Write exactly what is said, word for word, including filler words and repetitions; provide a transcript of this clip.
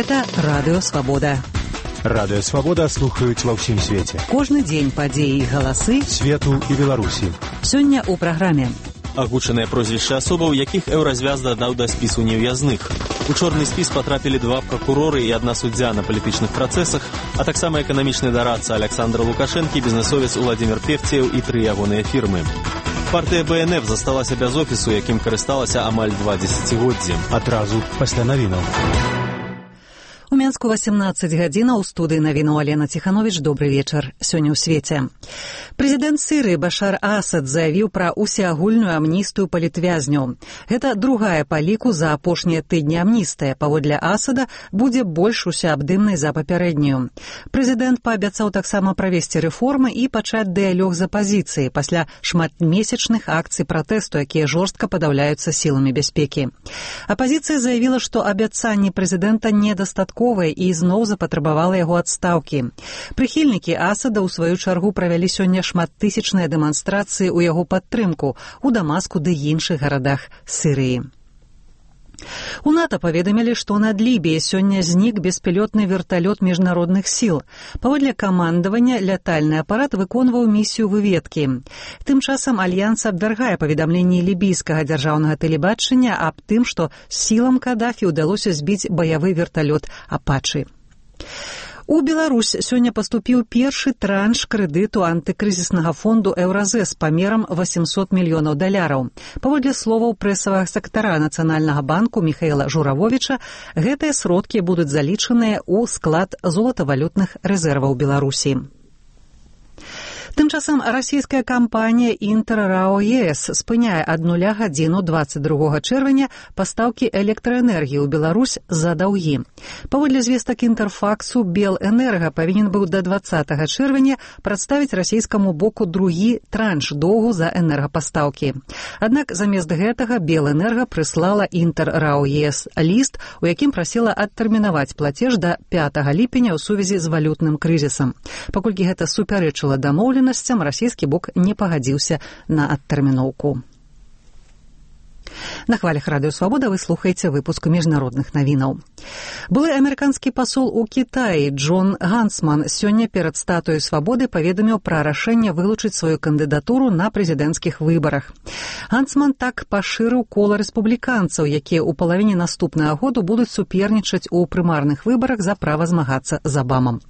Гэта Радыё Свабода. Радыё Свабода слухаюць ва ўсім свеце. Кожны дзень падзеі і галасы свету і Беларусі. Сёння ў праграме. Агучаныя прозвішчы асобаў, якіх Еўразвяз дадаў да спісу нев'язных. У чорны спіс потрапілі два прокуроры і адна суддзя на палітычных працэсах, а таксама эканамічны дарадца Александр Лукашэнкі, бізнесовец Уладзімір Певцеў і тры ягоныя фірмы. Партыя бэ эн эф засталася без офісу, якім карысталася амаль два дзесяцігоддзі. Адразу пасля навінаў. У Менску васемнаццаць гадзінаў, у студыі навіну Алена Ціхановіч. Добры вечар. Сёння ў свеце. Прэзідэнт Сірыі Башар Асад заявіў пра усеагульную амністыю палітвязняў. Гэта другая па ліку за апошнія тыдні амністыя. Паводле Асада будзе больш усеабдымнай за папярэднюю. Прэзідэнт паабяцаў таксама правесці рэформы і пачаць дыялог з апазіцыяй пасля шматмесячных акцый пратэсту, якія жорстка падаўляюцца сіламі бяспекі. Апазіцыя заявіла, што абяцанні прэзідэнта недастатковыя і зноў запатрабавала яго адстаўкі. Прыхільнікі Асада ў сваю чаргу правялі сёння шматтысячныя дэманстрацыі ў яго падтрымку ў Дамаску ды іншых гарадах Сірыі. У НАТО паведамілі, што над Лібіяй сёння знік беспілотны верталёт міжнародных сіл. Паводле камандавання лятальны апарат выконваў місію выведкі. Тым часам Альянс абвяргае паведамленні лібійскага дзяржаўнага тэлебачання аб тым, што сілам Кадафі ўдалося збіць баявы верталёт «Апачы». У Беларусь сёння паступіў першы транш крэдыту антыкрызіснага фонду «Еўразэс» памерам восемьсот мільёнаў даляраў. Паводле словаў прэсавага сакратара Нацыянальнага банку Міхаіла Журавовіча, гэтыя сродкі будуць залічаныя ў склад золатавалютных рэзерваў Беларусі. Тым часам расійская кампанія «Інтэр-РАО ЕС» спыняе ад нуля гадзіну дваццаць другога чэрвеня пастаўкі электраэнергіі ў Беларусь за даўгі. Паводле звестак Інтэрфаксу, Белэнерга павінен быў да дваццатага чэрвеня прадставіць расійскаму боку другі транш доўгу за энергапастаўкі. Аднак замест гэтага Белэнерга прыслала «Інтэр-РАО ЕС» ліст, у якім прасіла адтэрмінаваць плацеж да пятага ліпеня ў сувязі з валютным крызісам. Паколькі гэта супярэчыла дамоўленасцям, расійскі бок не пагадзіўся на адтэрміноўку. На хвалях Радыё Свабода вы слухаеце выпуск міжнародных навінаў. Былы амерыканскі пасол у Кітаі Джон Гансман сёння перад статуяй Свабоды паведаміў пра рашэнне вылучыць сваю кандыдатуру на прэзідэнцкіх выбарах. Гансман так пашырыў кола рэспубліканцаў, якія ў палавіне наступнага году будуць супернічаць у прымарных выбарах за права змагацца з Абамам.